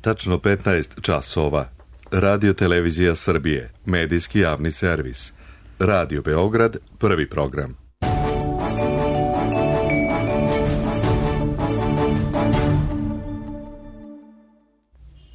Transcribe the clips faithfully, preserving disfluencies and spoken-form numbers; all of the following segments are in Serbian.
tačno petnaest časova. Radio Televizija Srbije, medijski javni servis. Radio Beograd, prvi program.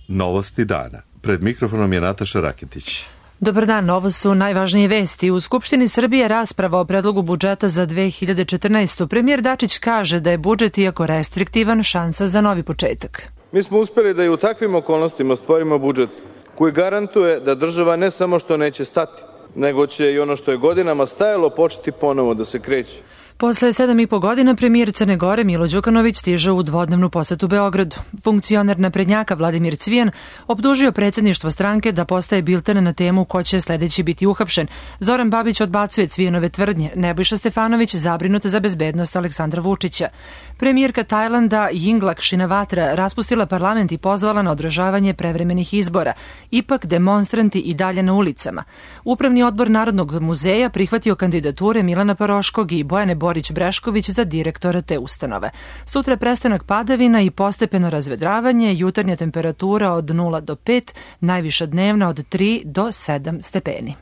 Novosti dana. Pred mikrofonom je Nataša Raketić. Dobar dan, ovo su najvažnije vesti. U Skupštini Srbije rasprava o predlogu budžeta za dve hiljade četrnaestu. Premijer Dačić kaže da je budžet, iako restriktivan, šansa za novi početak. Mi smo uspeli da i u takvim okolnostima stvorimo budžet koji garantuje da država ne samo što neće stati, nego će i ono što je godinama stajalo početi ponovo da se kreće. Posle sedam i po godina premijer Crne Gore Milo Đukanović stiže u dvodnevnu posetu Beogradu. Funkcioner naprednjaka Vladimir Cvijan optužio predsjedništvo stranke da postaje bilten na temu ko će sledeći biti uhapšen. Zoran Babić odbacuje Cvijanove tvrdnje. Nebojša Stefanović zabrinut za bezbednost Aleksandra Vučića. Premijerka Tajlanda Yingluck Shinawatra raspustila parlament i pozvala na održavanje prevremenih izbora. Ipak demonstranti i dalje na ulicama. Upravni odbor Narodnog muzeja prihvatio kandidature Milana Paroškog i Bojane Borić-Brešković za direktora te ustanove. Sutra prestanak padavina i postepeno razvedravanje, jutarnja temperatura od nula do pet, najviša dnevna od tri do sedam stepeni.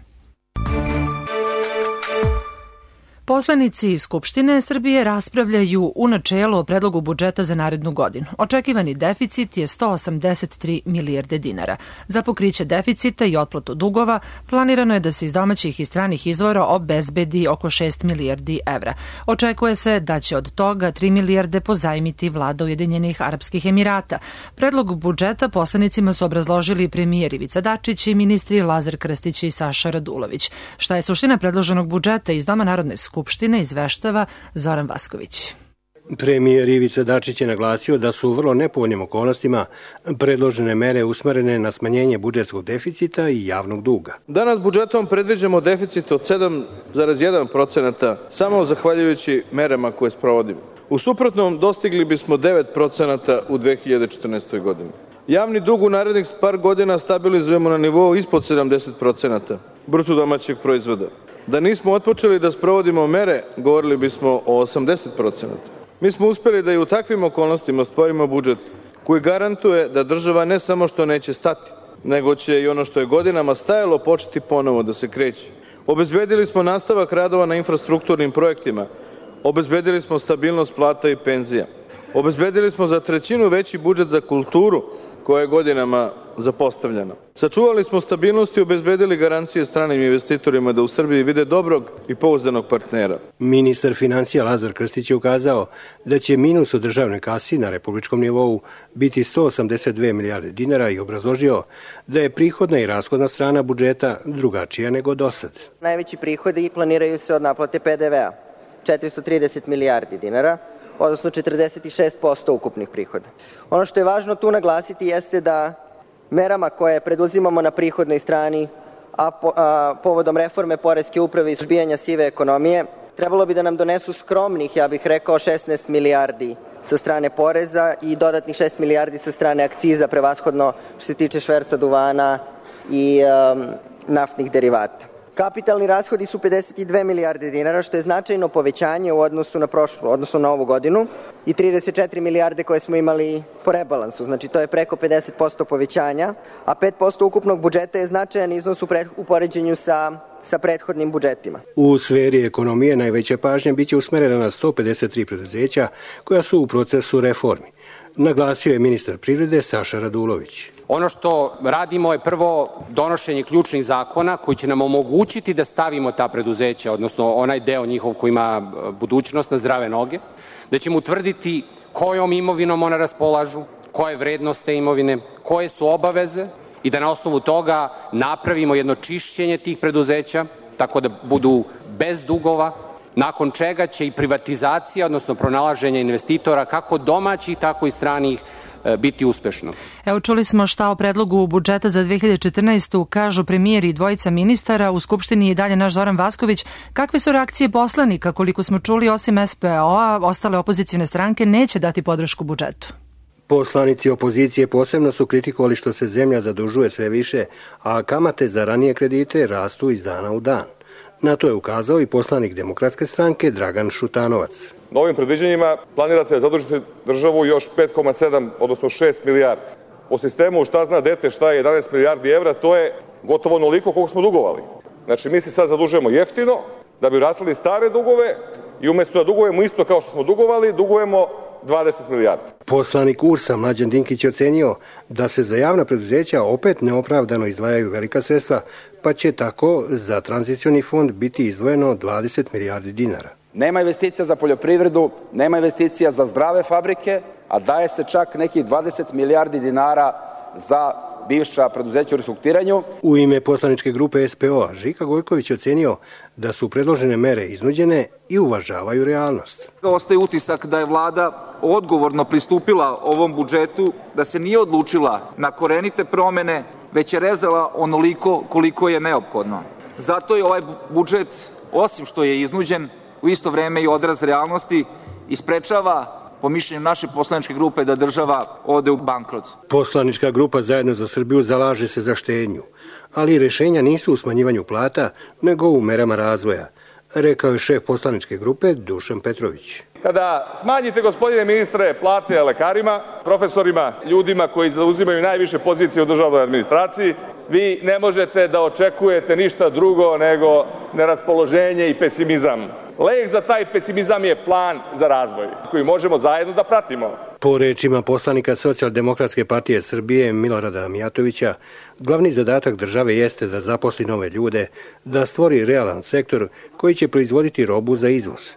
Poslanici Skupštine Srbije raspravljaju u načelu o predlogu budžeta za narednu godinu. Očekivani deficit je sto osamdeset tri milijarde dinara. Za pokriće deficita i otplatu dugova planirano je da se iz domaćih i stranih izvora obezbedi oko šest milijardi evra. Očekuje se da će od toga tri milijarde pozajmiti vlada Ujedinjenih Arapskih Emirata. Predlog budžeta poslanicima su obrazložili premijer Ivica Dačić i ministri Lazar Krstić i Saša Radulović. Šta je suština predloženog budžeta iz Doma Narodne skupštine izveštava Zoran Vasković. Premijer Ivica Dačić je naglasio da su u vrlo nepovoljnim okolnostima predložene mere usmerene na smanjenje budžetskog deficita i javnog duga. Danas budžetom predviđamo deficit od sedam zarez jedan procenat samo zahvaljujući merama koje sprovodimo. U suprotnom dostigli bismo devet procenata u dve hiljade četrnaestoj. godini. Javni dug u narednih par godina stabilizujemo na nivou ispod sedamdeset procenata bruto domaćeg proizvoda. Da nismo otpočeli da sprovodimo mere, govorili bismo o osamdeset procenata. Mi smo uspeli da i u takvim okolnostima stvorimo budžet koji garantuje da država ne samo što neće stati, nego će i ono što je godinama stajalo početi ponovo da se kreće. Obezbedili smo nastavak radova na infrastrukturnim projektima, obezbedili smo stabilnost plata i penzija, obezbedili smo za trećinu veći budžet za kulturu koja je godinama zapostavljena. Sačuvali smo stabilnost i obezbedili garancije stranim investitorima da u Srbiji vide dobrog i pouzdanog partnera. Ministar financija Lazar Krstić je ukazao da će minus u državnoj kasi na republičkom nivou biti sto osamdeset dve milijarde dinara i obrazložio da je prihodna i rashodna strana budžeta drugačija nego dosad. Najveći prihodi planiraju se od naplate P D V-a, četiristo trideset milijardi dinara, odnosno četrdeset šest posto ukupnih prihoda. Ono što je važno tu naglasiti jeste da merama koje preduzimamo na prihodnoj strani, a, po, a povodom reforme poreske uprave i suzbijanja sive ekonomije, trebalo bi da nam donesu skromnih, ja bih rekao, šesnaest milijardi sa strane poreza i dodatnih šest milijardi sa strane akciza, prevashodno što se tiče šverca duvana i um, naftnih derivata. Kapitalni rashodi su pedeset dve milijarde dinara, što je značajno povećanje u odnosu na prošlu, odnosno na ovu godinu, i trideset četiri milijarde koje smo imali po rebalansu. Znači, to je preko pedeset posto povećanja, a pet posto ukupnog budžeta je značajan iznos u, pred, u poređenju sa, sa prethodnim budžetima. U sferi ekonomije najveća pažnja biće usmerena na sto pedeset tri preduzeća koja su u procesu reformi. Naglasio je ministar privrede Saša Radulović. Ono što radimo je prvo donošenje ključnih zakona koji će nam omogućiti da stavimo ta preduzeća, odnosno onaj deo njihov koji ima budućnost, na zdrave noge, da ćemo utvrditi kojom imovinom ona raspolažu, koje vrednost te imovine, koje su obaveze i da na osnovu toga napravimo jedno čišćenje tih preduzeća tako da budu bez dugova, nakon čega će i privatizacija, odnosno pronalaženje investitora, kako domaćih, tako i stranih, biti uspešno. Evo, čuli smo šta o predlogu budžeta za dve hiljade četrnaestu kažu premijer i dvojica ministara. U Skupštini je dalje naš Zoran Vasković. Kakve su reakcije poslanika? Koliko smo čuli, osim S P O-a, ostale opozicijne stranke neće dati podršku budžetu. Poslanici opozicije posebno su kritikovali što se zemlja zadužuje sve više, a kamate za ranije kredite rastu iz dana u dan. Na to je ukazao i poslanik Demokratske stranke Dragan Šutanovac. Novim predviđanjima planirate zadužiti državu još pet zarez sedam, odnosno šest milijardi. po sistemu šta zna dete šta je jedanaest milijardi evra, to je gotovo onoliko koliko smo dugovali. Znači, mi se sad zadužujemo jeftino da bi vratili stare dugove i umjesto da dugujemo isto kao što smo dugovali, dugujemo dvadeset milijardi. Poslanik U R S-a Mlađan Dinkić je ocenio da se za javna preduzeća opet neopravdano izdvajaju velika sredstva, pa će tako za tranzicioni fond biti izdvojeno dvadeset milijardi dinara. Nema investicija za poljoprivredu, nema investicija za zdrave fabrike, a daje se čak nekih dvadeset milijardi dinara za bivša preduzeća u restrukturiranju. U ime poslaničke grupe S P O-a Žika Gojković je ocenio da su predložene mere iznuđene i uvažavaju realnost. Ostaje utisak da je vlada odgovorno pristupila ovom budžetu, da se nije odlučila na korenite promene, već je rezala onoliko koliko je neophodno. Zato je ovaj budžet, osim što je iznuđen, u isto vreme i odraz realnosti i sprečava, po mišljenju naše poslaničke grupe, da država ode u bankrot. Poslanička grupa Zajedno za Srbiju zalaže se za štednju, ali rešenja nisu u smanjivanju plata, nego u merama razvoja, rekao je šef poslaničke grupe Dušan Petrović. Kada smanjite, gospodine ministre, plate lekarima, profesorima, ljudima koji zauzimaju najviše pozicije u državnoj administraciji, vi ne možete da očekujete ništa drugo nego neraspoloženje i pesimizam. Lek za taj pesimizam je plan za razvoj, koji možemo zajedno da pratimo. Po rečima poslanika Socijaldemokratske partije Srbije Milorada Mijatovića, glavni zadatak države jeste da zaposli nove ljude, da stvori realan sektor koji će proizvoditi robu za izvoz.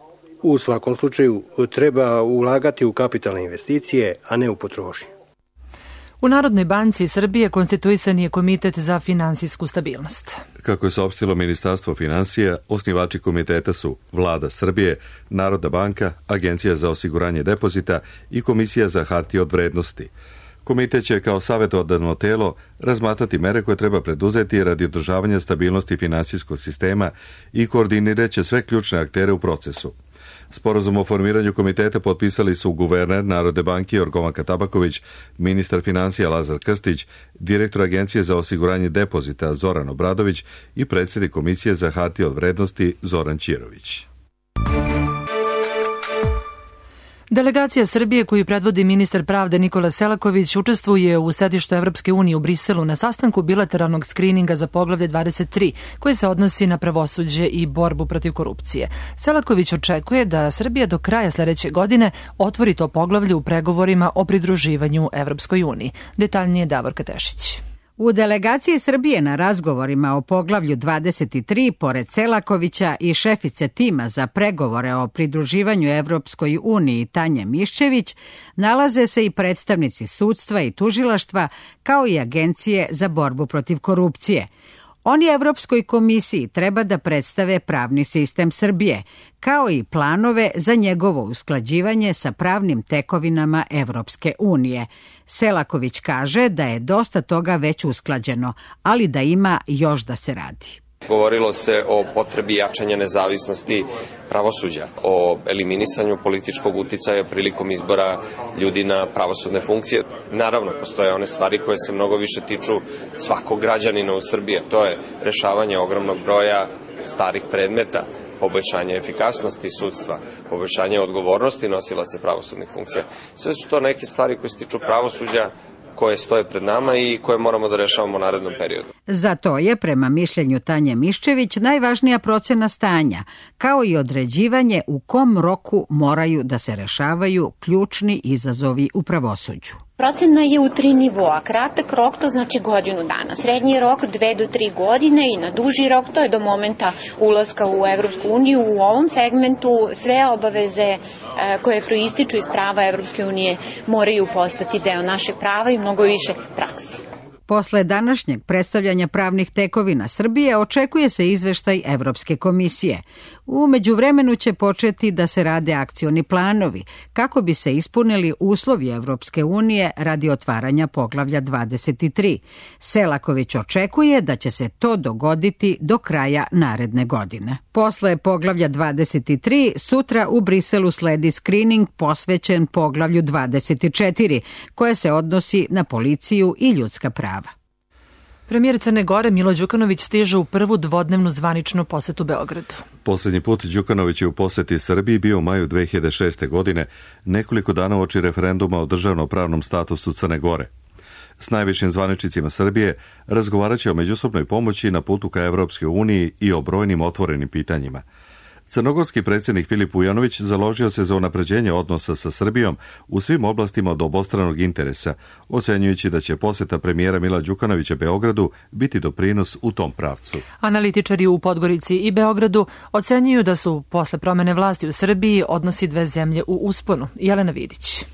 U svakom slučaju treba ulagati u kapitalne investicije, a ne u potrošnju. U Narodnoj banci Srbije konstituisan je Komitet za finansijsku stabilnost. Kako je saopštilo Ministarstvo finansija, osnivači komiteta su Vlada Srbije, Narodna banka, Agencija za osiguranje depozita i Komisija za hartije od vrednosti. Komitet će kao savjetodavno telo razmatrati mere koje treba preduzeti radi održavanja stabilnosti finansijskog sistema i koordinirat će sve ključne aktere u procesu. Sporazum o formiranju komiteta potpisali su guverner Narodne banke Jorgovanka Tabaković, ministar finansija Lazar Krstić, direktor Agencije za osiguranje depozita Zoran Obradović i predsjednik Komisije za hartije od vrednosti Zoran Ćirović. Delegacija Srbije koju predvodi ministar pravde Nikola Selaković učestvuje u sedištu Evropske unije u Briselu na sastanku bilateralnog skrininga za poglavlje dvadeset tri, koje se odnosi na pravosuđe i borbu protiv korupcije. Selaković očekuje da Srbija do kraja sledeće godine otvori to poglavlje u pregovorima o pridruživanju Evropskoj uniji. Detaljnije Davorka Tešić. U delegaciji Srbije na razgovorima o poglavlju dvadeset tri, pored Selakovića i šefice tima za pregovore o pridruživanju Evropskoj uniji Tanje Miščević, nalaze se i predstavnici sudstva i tužilaštva, kao i Agencije za borbu protiv korupcije. Oni Evropskoj komisiji treba da predstave pravni sistem Srbije, kao i planove za njegovo usklađivanje sa pravnim tekovinama Evropske unije. Selaković kaže da je dosta toga već usklađeno, ali da ima još da se radi. Govorilo se o potrebi jačanja nezavisnosti pravosuđa, o eliminisanju političkog uticaja prilikom izbora ljudi na pravosudne funkcije. Naravno, postoje one stvari koje se mnogo više tiču svakog građanina u Srbiji. To je rešavanje ogromnog broja starih predmeta, poboljšanje efikasnosti sudstva, poboljšanje odgovornosti nosilaca pravosudnih funkcija. Sve su to neke stvari koje se tiču pravosuđa, koje stoje pred nama i koje moramo da rešavamo u narednom periodu. Za to je, prema mišljenju Tanje Miščević, najvažnija procena stanja, kao i određivanje u kom roku moraju da se rešavaju ključni izazovi u pravosuđu. Procena je u tri nivoa. Kratak rok, to znači godinu dana. Srednji rok dve do tri godine i na duži rok, to je do momenta ulaska u Evropsku uniju. U ovom segmentu sve obaveze koje proističu iz prava Evropske unije moraju postati deo našeg prava i mnogo više prakse. Posle današnjeg predstavljanja pravnih tekovina Srbije očekuje se izveštaj Evropske komisije. U međuvremenu će početi da se rade akcioni planovi kako bi se ispunili uslovi Evropske unije radi otvaranja poglavlja dvadeset tri. Selaković očekuje da će se to dogoditi do kraja naredne godine. Posle poglavlja dvadeset tri sutra u Briselu sledi skrining posvećen poglavlju dvadeset četiri, koje se odnosi na policiju i ljudska prava. Premijer Crne Gore Milo Đukanović stiže u prvu dvodnevnu zvaničnu posetu Beogradu. Poslednji put Đukanović je u poseti Srbiji bio u maju dve hiljade šeste. godine, nekoliko dana uoči referenduma o državno-pravnom statusu Crne Gore. S najvišim zvaničnicima Srbije razgovarat će o međusobnoj pomoći na putu ka Evropskoj uniji i o brojnim otvorenim pitanjima. Crnogorski predsjednik Filip Vujanović založio se za unapređenje odnosa sa Srbijom u svim oblastima od obostranog interesa, ocenjujući da će posjeta premijera Mila Đukanovića Beogradu biti doprinos u tom pravcu. Analitičari u Podgorici i Beogradu ocenjuju da su posle promene vlasti u Srbiji odnosi dve zemlje u usponu. Jelena Vidić.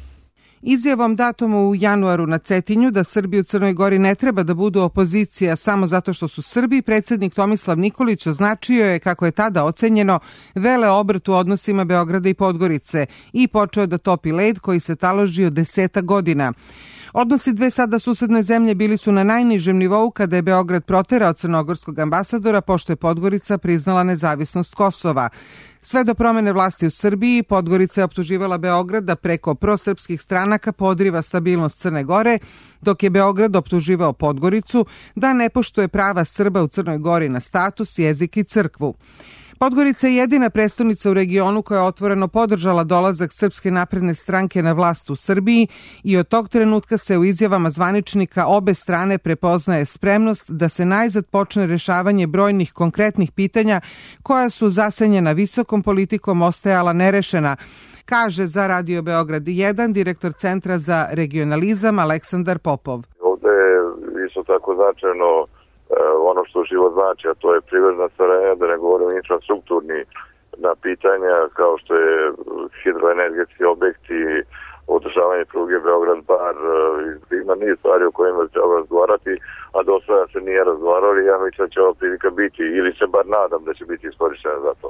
Izjavom datom u januaru na Cetinju da Srbi u Crnoj Gori ne treba da budu opozicija samo zato što su Srbi, predsjednik Tomislav Nikolić označio je, kako je tada ocenjeno, vele obrt u odnosima Beograda i Podgorice i počeo da topi led koji se taložio deseta godina. Odnosi dve sada susedne zemlje bili su na najnižem nivou kada je Beograd proterao crnogorskog ambasadora, pošto je Podgorica priznala nezavisnost Kosova. Sve do promene vlasti u Srbiji, Podgorica je optuživala Beograd da preko prosrpskih stranaka podriva stabilnost Crne Gore, dok je Beograd optuživao Podgoricu da ne poštuje prava Srba u Crnoj Gori na status, jezik i crkvu. Podgorica je jedina prestonica u regionu koja je otvoreno podržala dolazak Srpske napredne stranke na vlast u Srbiji i od tog trenutka se u izjavama zvaničnika obe strane prepoznaje spremnost da se najzad počne rešavanje brojnih konkretnih pitanja koja su zasenjena visokom politikom ostajala nerešena, kaže za Radio Beograd jedan direktor Centra za regionalizam Aleksandar Popov. Ovde je isto tako značajno ono što život znači, a to je privredna saradnja, da ne govorimo infrastrukturni na pitanja kao što je hidroenergetski objekti, održavanje pruge Beograd-Bar, ima niz stvari o kojima treba razgovarati, a do sada se nije razgovarali. Ja mislim da će ova prilika biti, ili se bar nadam da će biti iskorištena za to.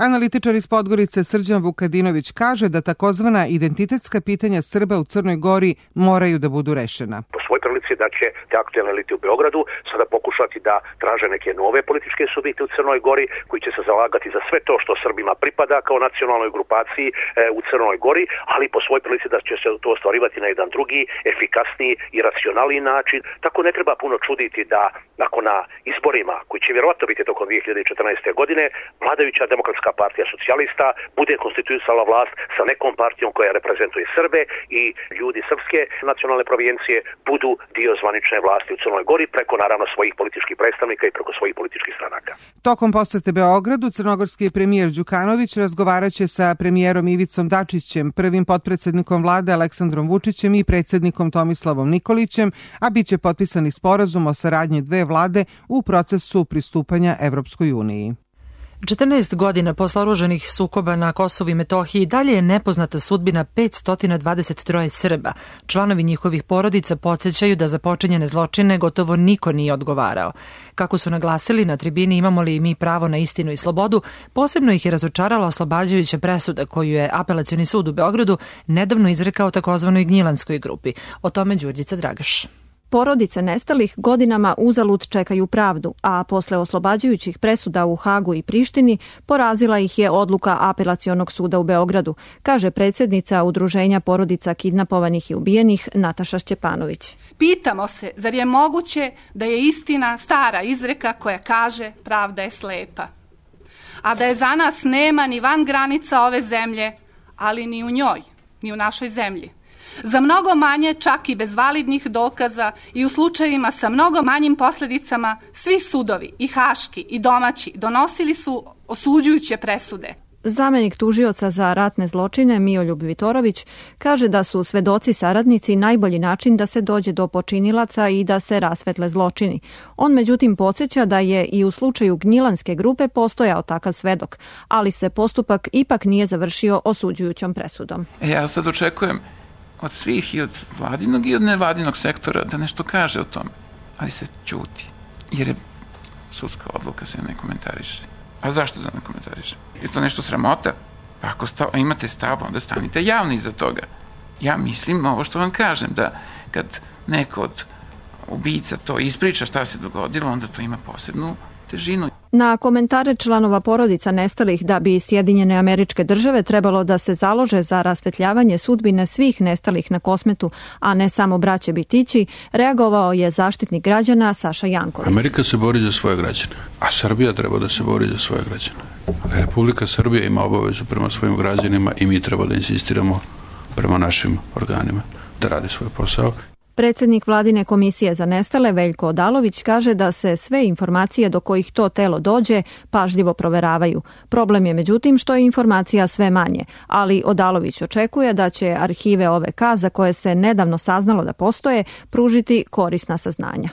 Analitičar iz Podgorice Srđan Vukadinović kaže da takozvana identitetska pitanja Srba u Crnoj Gori moraju da budu rešena. Po svoj prilici da će te aktualne elite u Beogradu sada pokušati da traže neke nove političke subjekte u Crnoj Gori koji će se zalagati za sve to što Srbima pripada kao nacionalnoj grupaciji e, u Crnoj Gori, ali po svoj prilici da će se to ostvarivati na jedan drugi, efikasniji i racionalniji način. Tako ne treba puno čuditi da nakon na izborima, koji će vjerovatno biti tokom dve hiljade četrnaeste. godine, vladajuća Demokratska partija socijalista bude konstituisala vlast sa nekom partijom koja reprezentuje Srbe i ljudi srpske nacionalne provijencije budu dio zvanične vlasti u Crnoj Gori preko naravno svojih političkih predstavnika i preko svojih političkih stranaka. Tokom posete Beogradu, crnogorski premijer Đukanović razgovaraće sa premijerom Ivicom Dačićem, prvim potpredsjednikom vlade Aleksandrom Vučićem i predsjednikom Tomislavom Nikolićem, a biće potpisani sporazum o saradnji dve vlade u procesu pristupanja Evropskoj uniji. četrnaest godina posle oružanih sukoba na Kosovu i Metohiji dalje je nepoznata sudbina petsto dvadeset tri Srba. Članovi njihovih porodica podsjećaju da za počinjene zločine gotovo niko nije odgovarao. Kako su naglasili na tribini Imamo li mi pravo na istinu i slobodu, posebno ih je razočarala oslobađajuća presuda koju je Apelacioni sud u Beogradu nedavno izrekao takozvanoj Gnjilanskoj grupi. O tome Đurđica Dragaš. Porodice nestalih godinama uzalud čekaju pravdu, a posle oslobađajućih presuda u Hagu i Prištini porazila ih je odluka Apelacionog suda u Beogradu, kaže predsjednica Udruženja porodica kidnapovanih i ubijenih Nataša Šćepanović. Pitamo se, zar je moguće da je istina stara izreka koja kaže pravda je slepa, a da je za nas nema ni van granica ove zemlje, ali ni u njoj, ni u našoj zemlji. Za mnogo manje, čak i bez validnih dokaza i u slučajevima sa mnogo manjim posljedicama, svi sudovi, i haški i domaći, donosili su osuđujuće presude. Zamenik tužioca za ratne zločine Mijoljub Vitorović kaže da su svedoci saradnici najbolji način da se dođe do počinilaca i da se rasvetle zločini. On međutim podsjeća da je i u slučaju Gnjilanske grupe postojao takav svedok, ali se postupak ipak nije završio osuđujućom presudom. E, ja sad očekujem od svih i od vladinog i od nevladinog sektora da nešto kaže o tome, ali se ćuti, jer je sudska odluka se ne komentariše. A zašto da ne komentariše? Je to nešto sramota? Pa ako stav, imate stav, onda stanite javno iza toga. Ja mislim ovo što vam kažem, da kad neko od ubica to ispriča šta se dogodilo, onda to ima posebnu težinu. Na komentare članova porodica nestalih da bi Sjedinjene Američke Države trebalo da se založe za rasvetljavanje sudbine svih nestalih na Kosmetu, a ne samo braće Bitići, reagovao je zaštitnik građana Saša Janković. Amerika se bori za svoje građane, a Srbija treba da se bori za svoje građane. Republika Srbija ima obavezu prema svojim građanima i mi treba da insistiramo prema našim organima da radi svoj posao. Predsednik Vladine komisije za nestale Veljko Odalović kaže da se sve informacije do kojih to telo dođe pažljivo proveravaju. Problem je međutim što je informacija sve manje, ali Odalović očekuje da će arhive O V K za koje se nedavno saznalo da postoje pružiti korisna saznanja.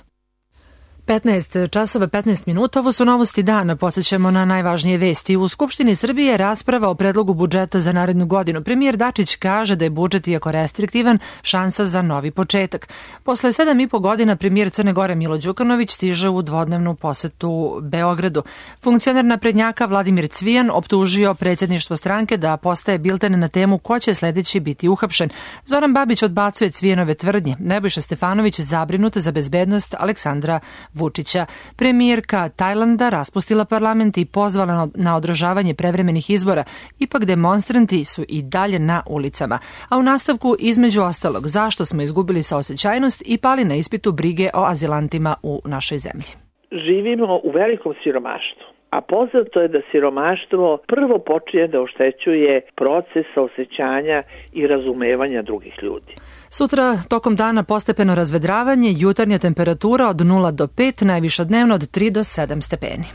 petnaest časova petnaest minuta, ovo su novosti dana, podsjećamo na najvažnije vesti. U Skupštini Srbije rasprava o predlogu budžeta za narednu godinu. Premijer Dačić kaže da je budžet, iako restriktivan, šansa za novi početak. Posle sedam i po godina premijer Crne Gore Milo Đukanović stiže u dvodnevnu posetu Beogradu. Funkcioner naprednjaka Vladimir Cvijan optužio predsjedništvo stranke da postaje bilten na temu ko će sledeći biti uhapšen. Zoran Babić odbacuje Cvijanove tvrdnje. Nebojša Stefanović zabrinut za bezbednost Aleksandra Vučića. Premijerka Tajlanda raspustila parlament i pozvala na održavanje prevremenih izbora. Ipak demonstranti su i dalje na ulicama. A u nastavku, između ostalog, zašto smo izgubili saosećajnost i pali na ispitu brige o azilantima u našoj zemlji. Živimo u velikom siromaštvu. A poznato je da siromaštvo prvo počinje da oštećuje proces osjećanja i razumevanja drugih ljudi. Sutra tokom dana postepeno razvedravanje, jutarnja temperatura od nula do pet, najviša dnevno od tri do sedam stepeni.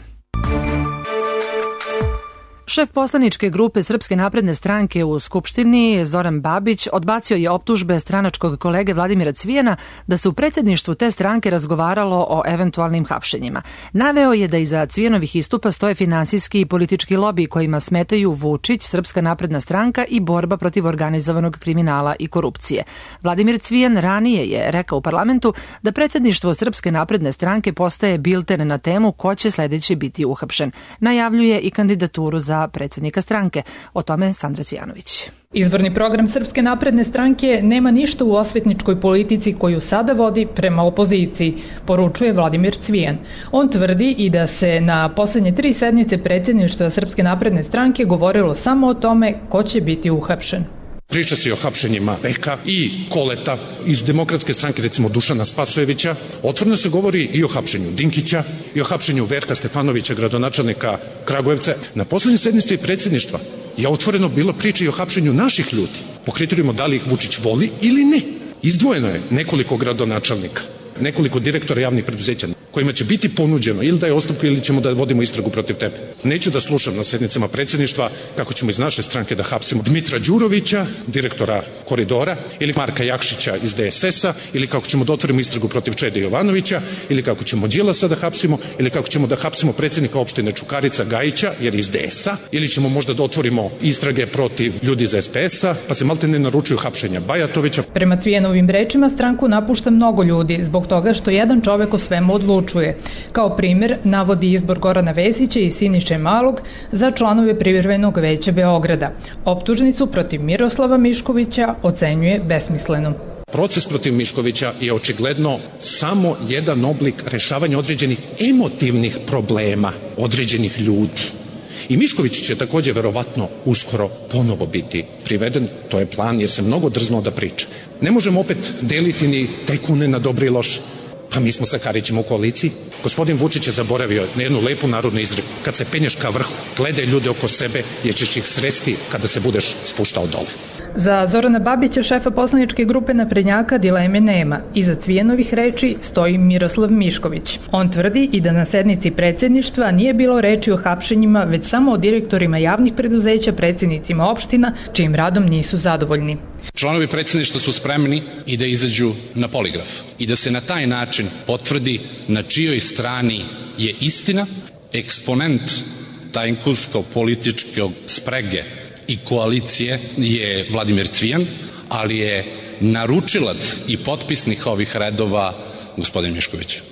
Šef poslaničke grupe Srpske napredne stranke u Skupštini, Zoran Babić, odbacio je optužbe stranačkog kolege Vladimira Cvijana da se u predsjedništvu te stranke razgovaralo o eventualnim hapšenjima. Naveo je da iza Cvijanovih istupa stoje finansijski i politički lobi kojima smetaju Vučić, Srpska napredna stranka i borba protiv organizovanog kriminala i korupcije. Vladimir Cvijan ranije je rekao u parlamentu da predsjedništvo Srpske napredne stranke postaje bilten na temu ko će sledeći biti uhapšen. Najavljuje i kandidaturu za predsjednika stranke. O tome Sandra Cvijanović. Izborni program Srpske napredne stranke nema ništa u osvetničkoj politici koju sada vodi prema opoziciji, poručuje Vladimir Cvijan. On tvrdi i da se na poslednje tri sednice predsjedništva Srpske napredne stranke govorilo samo o tome ko će biti uhapšen. Priča se o hapšenjima Beka i Koleta iz Demokratske stranke, recimo Dušana Spasojevića. Otvoreno se govori i o hapšenju Dinkića i o hapšenju Verka Stefanovića, gradonačelnika Kragujevca. Na poslednjoj sednici predsjedništva je otvoreno bilo priče i o hapšenju naših ljudi. Po kriterijima da li ih Vučić voli ili ne. Izdvojeno je nekoliko gradonačelnika, nekoliko direktora javnih preduzeća kojima će biti ponuđeno ili da je ostavku ili ćemo da vodimo istragu protiv tebe. Neću da slušam na sednicama predsjedništva kako ćemo iz naše stranke da hapsimo Dmitra Đurovića, direktora Koridora, ili Marka Jakšića iz D S S-a, ili kako ćemo da otvorimo istragu protiv Čede Jovanovića, ili kako ćemo Đilasa da hapsimo, ili kako ćemo da hapsimo predsjednika opštine Čukarica Gajića, jer iz D S-a, ili ćemo možda da otvorimo istrage protiv ljudi iz S P S-a, pa se malte ne naručuju hapšenja Bajatovića. Prema Cvijanovim rečima stranku napušta mnogo ljudi zbog toga što jedan čovek o svemu odlučuje. Kao primjer navodi izbor Gorana Vesića i Siniše Malog za članove privremenog veća Beograda. Optužnicu protiv Miroslava Miškovića ocenjuje besmislenom. Proces protiv Miškovića je očigledno samo jedan oblik rešavanja određenih emotivnih problema određenih ljudi. I Mišković će takođe verovatno uskoro ponovo biti priveden, to je plan jer se mnogo drznuo da priča. Ne možemo opet deliti ni tajkune na dobre i loše. Pa mi smo sa Karićem u koaliciji. Gospodin Vučić je zaboravio na jednu lepu narodnu izreku. Kad se penješ ka vrhu, gledaj ljude oko sebe jer ćeš ih sresti kada se budeš spuštao dole. Za Zorana Babića, šefa poslaničke grupe naprednjaka, dileme nema. Iza Cvijanovih reči stoji Miroslav Mišković. On tvrdi i da na sednici predsjedništva nije bilo reči o hapšenjima, već samo o direktorima javnih preduzeća, predsjednicima opština, čijim radom nisu zadovoljni. Članovi predsjedništva su spremni i da izađu na poligraf i da se na taj način potvrdi na čijoj strani je istina. Eksponent tajkunsko-političkog sprege i koalicije je Vladimir Cvijan, ali je naručilac i potpisnik ovih redova gospodin Mišković.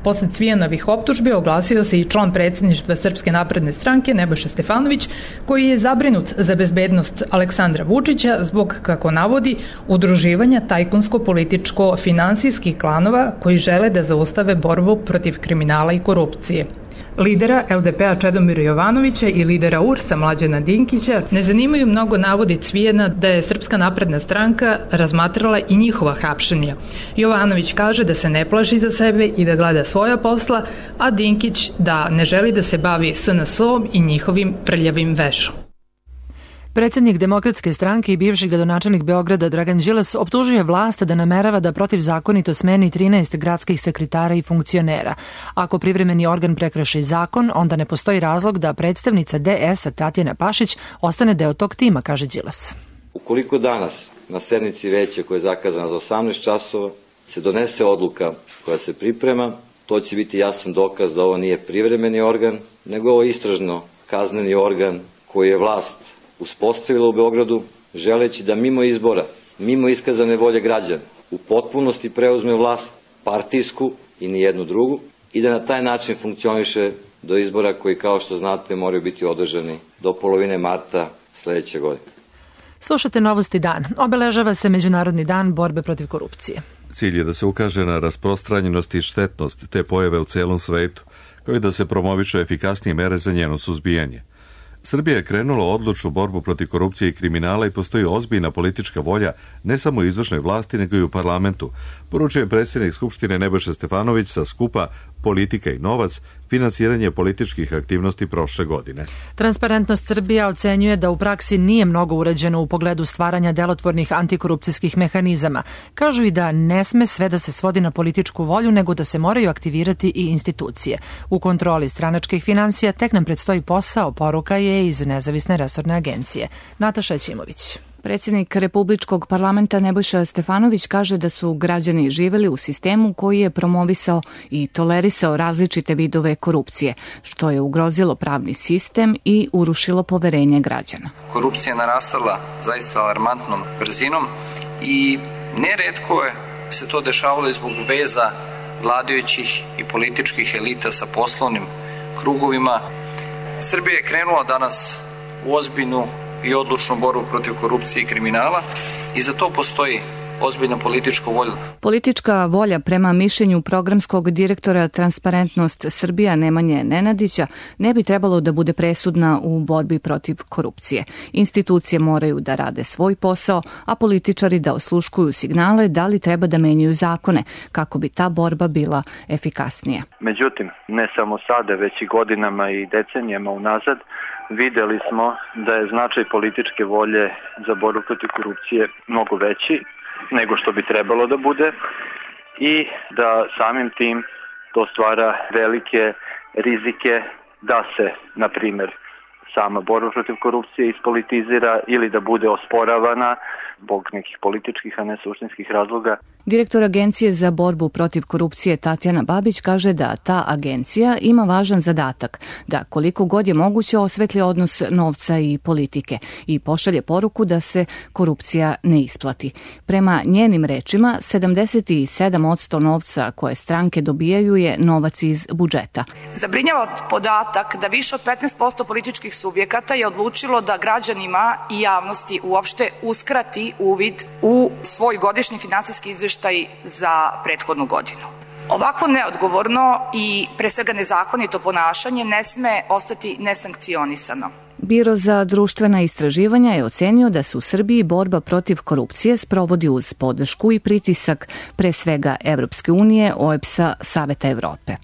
Posle Cvijanovih optužbi oglasio se i član predsjedništva Srpske napredne stranke Nebojša Stefanović, koji je zabrinut za bezbednost Aleksandra Vučića zbog, kako navodi, udruživanja tajkunsko-političko-finansijskih klanova koji žele da zaustave borbu protiv kriminala i korupcije. Lidera L D P-a Čedomira Jovanovića i lidera U R S-a Mlađana Dinkića ne zanimaju mnogo navodi Cvijana da je Srpska napredna stranka razmatrala i njihova hapšenja. Jovanović kaže da se ne plaši za sebe i da gleda svoja posla, a Dinkić da ne želi da se bavi S N S-om i njihovim prljavim vešom. Predsjednik Demokratske stranke i bivši gradonačelnik Beograda Dragan Đilas optužuje vlast da namerava da protivzakonito smeni trinaest gradskih sekretara i funkcionera. Ako privremeni organ prekrši zakon, onda ne postoji razlog da predstavnica D S-a Tatjana Pašić ostane deo tog tima, kaže Đilas. Ukoliko danas na sednici veća koja je zakazana za osamnaest časova se donese odluka koja se priprema, to će biti jasan dokaz da ovo nije privremeni organ, nego ovo istražno kazneni organ koji je vlast uspostavila u Beogradu, želeći da mimo izbora, mimo iskazane volje građana, u potpunosti preuzme vlast, partijsku i nijednu drugu, i da na taj način funkcioniše do izbora koji, kao što znate, moraju biti održani do polovine marta sledeće godine. Slušate Novosti dan. Obeležava se Međunarodni dan borbe protiv korupcije. Cilj je da se ukaže na rasprostranjenost i štetnost te pojave u celom svetu, kao i da se promovišu efikasnije mere za njeno suzbijanje. Srbija je krenula odlučnu borbu protiv korupcije i kriminala i postoji ozbiljna politička volja ne samo u izvršnoj vlasti, nego i u parlamentu, poručuje predsjednik Skupštine Nebojša Stefanović sa skupa Politika i novac, finansiranje političkih aktivnosti prošle godine. Transparentnost Srbija ocenjuje da u praksi nije mnogo urađeno u pogledu stvaranja delotvornih antikorupcijskih mehanizama. Kažu i da ne sme sve da se svodi na političku volju, nego da se moraju aktivirati i institucije. U kontroli stranačkih finansija tek nam predstoji posao, poruka je iz nezavisne resorne agencije. Nataša Ćimović. Predsjednik Republičkog parlamenta Nebojša Stefanović kaže da su građani živeli u sistemu koji je promovisao i tolerisao različite vidove korupcije, što je ugrozilo pravni sistem i urušilo poverenje građana. Korupcija je narastala zaista alarmantnom brzinom i neretko je se to dešavalo zbog veza vladajućih i političkih elita sa poslovnim krugovima. Srbija je krenula danas u ozbiljnu i odlučnu borbu protiv korupcije i kriminala i za to postoji ozbiljna politička volja. Politička volja prema mišljenju programskog direktora Transparentnost Srbija Nemanje Nenadića ne bi trebalo da bude presudna u borbi protiv korupcije. Institucije moraju da rade svoj posao, a političari da osluškuju signale da li treba da menjaju zakone kako bi ta borba bila efikasnija. Međutim, ne samo sada, već i godinama i decenijama unazad, videli smo da je značaj političke volje za borbu protiv korupcije mnogo veći nego što bi trebalo da bude i da samim tim to stvara velike rizike da se, na primjer, sama borba protiv korupcije ispolitizira ili da bude osporavana zbog nekih političkih, a ne suštinskih razloga. Direktor Agencije za borbu protiv korupcije Tatjana Babić kaže da ta agencija ima važan zadatak, da koliko god je moguće osvetli odnos novca i politike i pošalje poruku da se korupcija ne isplati. Prema njenim rečima, sedamdeset sedam posto novca koje stranke dobijaju je novac iz budžeta. Zabrinjava podatak da više od petnaest posto političkih subjekata je odlučilo da građanima i javnosti uopšte uskrati uvid u svoj godišnji finansijski izveštaj za prethodnu godinu. Ovako neodgovorno i pre svega nezakonito ponašanje ne sme ostati nesankcionisano. Biro za društvena istraživanja je ocenio da se u Srbiji borba protiv korupcije sprovodi uz podršku i pritisak pre svega Evropske unije, O E B S-a, Saveta Evrope.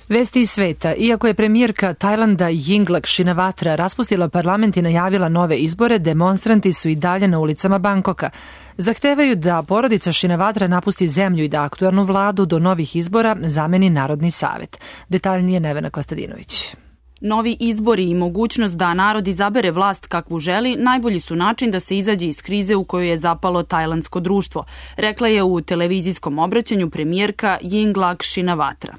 Vesti iz sveta. Iako je premijerka Tajlanda Yingluck Shinawatra raspustila parlament i najavila nove izbore, demonstranti su i dalje na ulicama Bangkoka. Zahtevaju da porodica Shinawatra napusti zemlju i da aktuelnu vladu do novih izbora zameni Narodni savet. Detaljnije Nevena Kostadinović. Novi izbori i mogućnost da narod izabere vlast kakvu želi najbolji su način da se izađe iz krize u kojoj je zapalo tajlandsko društvo, rekla je u televizijskom obraćanju premijerka Yingluck Shinawatra.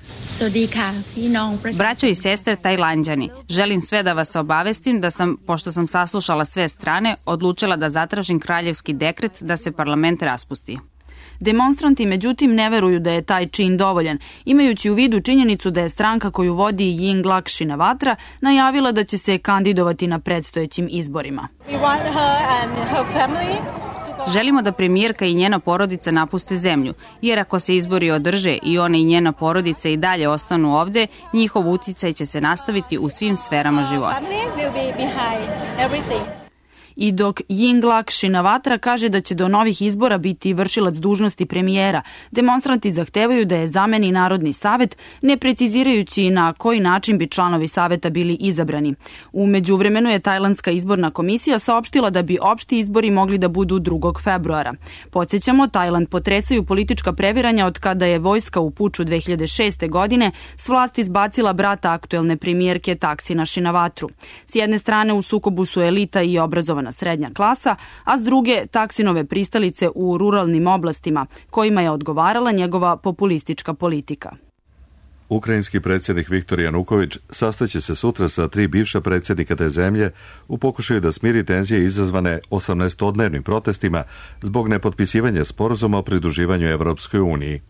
Braćo i sestre Tajlanđani, želim sve da vas obavestim da sam, pošto sam saslušala sve strane, odlučila da zatražim kraljevski dekret da se parlament raspusti. Demonstranti međutim ne veruju da je taj čin dovoljan, imajući u vidu činjenicu da je stranka koju vodi Yingluck Shinawatra najavila da će se kandidovati na predstojećim izborima. Želimo da premijerka i njena porodica napuste zemlju, jer ako se izbori održe i ona i njena porodica i dalje ostanu ovde, njihov uticaj će se nastaviti u svim sferama života. I dok Yingluck Shinawatra kaže da će do novih izbora biti vršilac dužnosti premijera, demonstranti zahtevaju da je zameni Narodni savet, ne precizirajući na koji način bi članovi saveta bili izabrani. U međuvremenu je Tajlandska izborna komisija saopštila da bi opšti izbori mogli da budu drugog februara. Podsjećamo, Tajland potresaju politička previranja od kada je vojska u puču dve hiljade šeste. godine s vlasti izbacila brata aktuelne premijerke Taksina Shinawatru. S jedne strane u sukobu su elita i obrazovana srednja klasa, a s druge Taksinove pristalice u ruralnim oblastima, kojima je odgovarala njegova populistička politika. Ukrajinski predsjednik Viktor Januković sastaće se sutra sa tri bivša predsjednika te zemlje u pokušaju da smiri tenzije izazvane osamnaestodnevnim protestima zbog nepotpisivanja sporazuma o pridruživanju Evropskoj uniji.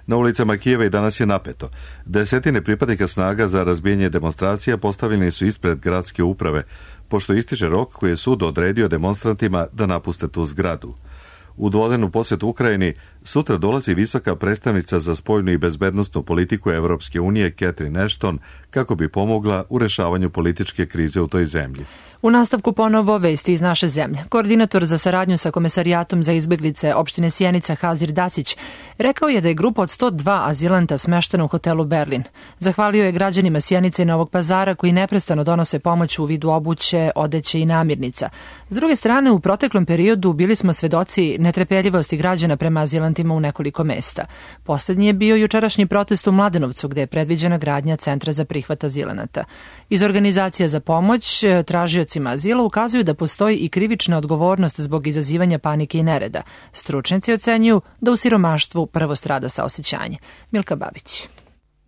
Na ulicama Kijeva i danas je napeto. Desetine pripadnika snaga za razbijanje demonstracija postavljeni su ispred gradske uprave, pošto ističe rok koji je sud odredio demonstrantima da napuste tu zgradu. U dvodnevnu posjetu Ukrajini sutra dolazi visoka predstavnica za spoljnu i bezbednosnu politiku Evropske unije Catherine Ashton kako bi pomogla u rešavanju političke krize u toj zemlji. U nastavku ponovo vesti iz naše zemlje. Koordinator za saradnju sa Komesarijatom za izbeglice opštine Sjenica Hazir Dacić rekao je da je grupa od sto dva azilanta smeštena u hotelu Berlin. Zahvalio je građanima Sjenice i Novog Pazara koji neprestano donose pomoć u vidu obuće, odeće i namirnica. S druge strane, u proteklom periodu bili smo svedoci netrpeljivosti građana prema azilantima u nekoliko mesta. Poslednji je bio jučerašnji protest u Mladenovcu gde je predviđena gradnja centra za prihvat azilanata. Iz organizacija za pomoć tražioci azila ukazuju da postoji i krivična odgovornost zbog izazivanja panike i nereda. Stručnjaci ocenjuju da u siromaštvu prvo strada saosećanje. Milka Babić.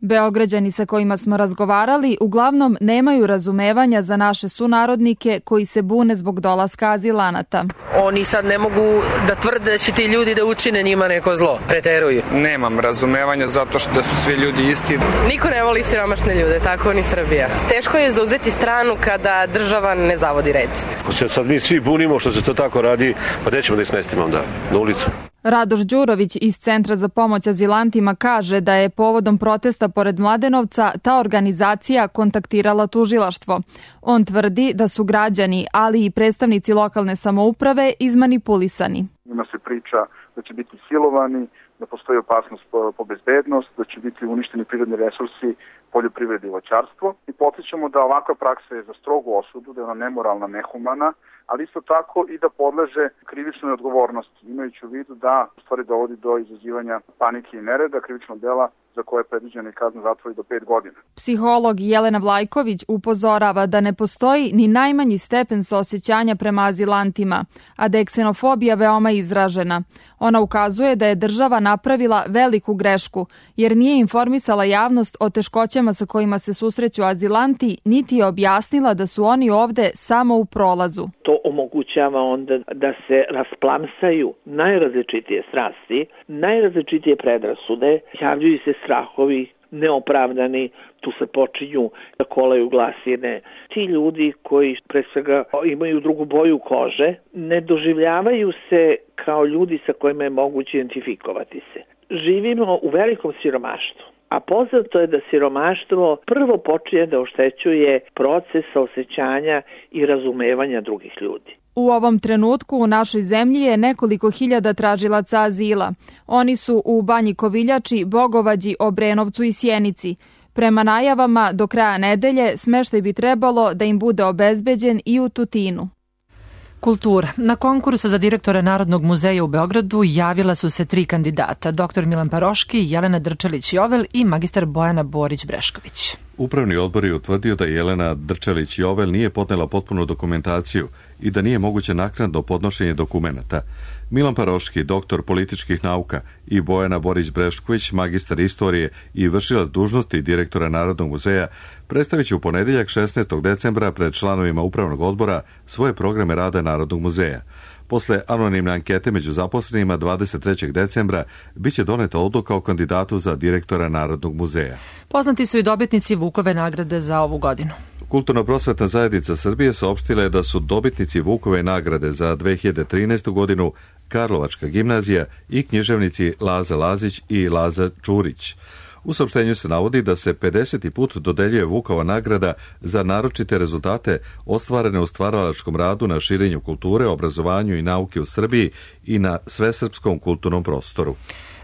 Beograđani sa kojima smo razgovarali uglavnom nemaju razumevanja za naše sunarodnike koji se bune zbog dolaska azilanata. Oni sad ne mogu da tvrde da će ti ljudi da učine njima neko zlo, preteruju. Nemam razumevanja zato što su svi ljudi isti. Niko ne voli siromašne ljude, tako ni Srbija. Teško je zauzeti stranu kada država ne zavodi red. Ako se sad mi svi bunimo što se to tako radi, pa gde ćemo da ih smestimo onda? Na ulicu. Radoš Đurović iz Centra za pomoć azilantima kaže da je povodom protesta pored Mladenovca ta organizacija kontaktirala tužilaštvo. On tvrdi da su građani, ali i predstavnici lokalne samouprave izmanipulisani. Ima se priča da će biti silovani, da postoji opasnost po bezbednost, da će biti uništeni prirodni resursi, poljoprivreda i voćarstvo. I podsjećamo da ovakva praksa je za strogu osudu, da je ona nemoralna, nehumana, ali isto tako i da podleže krivičnoj odgovornosti, imajući u vidu da u stvari dovodi do izazivanja panike i nereda, krivičnog dela za koje je predviđena i kazna zatvora do pet godina. Psiholog Jelena Vlajković upozorava da ne postoji ni najmanji stepen saosećanja prema azilantima, a da je ksenofobija veoma izražena. Ona ukazuje da je država napravila veliku grešku, jer nije informisala javnost o teškoćama sa kojima se susreću azilanti, niti je objasnila da su oni ovde samo u prolazu. To omogućava onda da se rasplamsaju najrazličitije strasti, najrazličitije predrasude, javljaju se strahovi neopravdani, tu se počinju da kolaju glasine. Ti ljudi koji pre svega imaju drugu boju kože, ne doživljavaju se kao ljudi sa kojima je moguće identifikovati se. Živimo u velikom siromaštvu. A poznato je da siromaštvo prvo počinje da oštećuje proces saosećanja i razumevanja drugih ljudi. U ovom trenutku u našoj zemlji je nekoliko hiljada tražilaca azila. Oni su u Banji Koviljači, Bogovađi, Obrenovcu i Sjenici. Prema najavama, do kraja nedelje smeštaj bi trebalo da im bude obezbeđen i u Tutinu. Kultura. Na konkursu za direktora Narodnog muzeja u Beogradu javila su se tri kandidata, doktor Milan Paroški, Jelena Drčelić-Jovel i magistar Bojana Borić-Brešković. Upravni odbor je utvrdio da Jelena Drčelić-Jovel nije podnela potpunu dokumentaciju i da nije moguće naknadno podnošenje dokumenata. Milan Paroški, doktor političkih nauka, i Bojana Borić-Brešković, magistar istorije i vršilac dužnosti direktora Narodnog muzeja, predstavit će u ponedeljak šesnaestog decembra pred članovima Upravnog odbora svoje programe rada Narodnog muzeja. Posle anonimne ankete među zaposlenima dvadeset trećeg decembra biće doneta odluka o kandidatu za direktora Narodnog muzeja. Poznati su i dobitnici Vukove nagrade za ovu godinu. Kulturno-prosvetna zajednica Srbije saopštila je da su dobitnici Vukove nagrade za dve hiljade trinaestu. godinu Karlovačka gimnazija i književnici Laza Lazić i Laza Čurić. U saopštenju se navodi da se pedeseti put dodeljuje Vukova nagrada za naročite rezultate ostvarene u stvaralačkom radu na širenju kulture, obrazovanju i nauke u Srbiji i na svesrpskom kulturnom prostoru.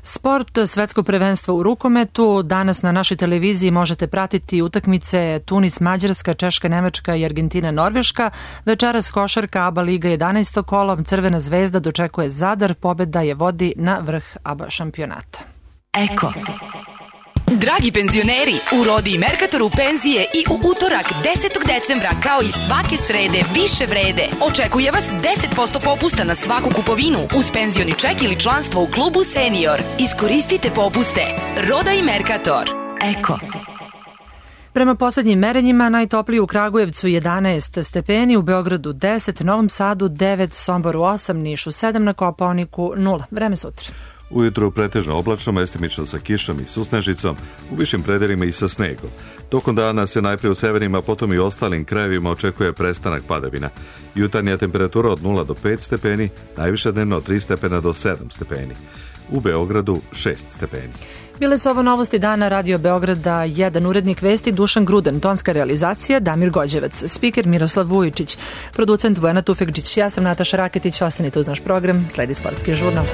Sport, svetsko prvenstvo u rukometu. Danas na našoj televiziji možete pratiti utakmice Tunis, Mađarska, Češka, Nemačka i Argentina, Norveška. Večeras košarka ABA Liga jedanaesto kolo. Crvena zvezda dočekuje Zadar. Pobeda je vodi na vrh ABA šampionata. Eko. Dragi penzioneri, u Rodi i Merkatoru penzije i u utorak desetog decembra kao i svake srede više vrede. Očekuje vas deset posto popusta na svaku kupovinu uz penzioni ček ili članstvo u klubu Senior. Iskoristite popuste. Roda i Merkator. Eko. Prema poslednjim merenjima, najtopliji u Kragujevcu jedanaest stepeni, u Beogradu deset, Novom Sadu devet, Somboru osam, Nišu sedam, na Kopaoniku nula. Vreme sutra. Ujutru pretežno oblačno, mestimično sa kišom i susnežicom, u višim predelima i sa snegom. Tokom dana se najprije u severnima, potom i ostalim krajevima očekuje prestanak padavina. Jutarnja temperatura od nula do pet stepeni, najviša dnevno od tri stepena do sedam stepeni. U Beogradu šest stepeni. Bile su ovo novosti dana Radio Beograda jedan, urednik vesti Dušan Gruden, tonska realizacija Damir Gođevac, spiker Miroslav Vujičić, producent Vojana Tufekđić. Ja sam Nataša Raketić, ostanite uz naš program, sledi sportski žurnal.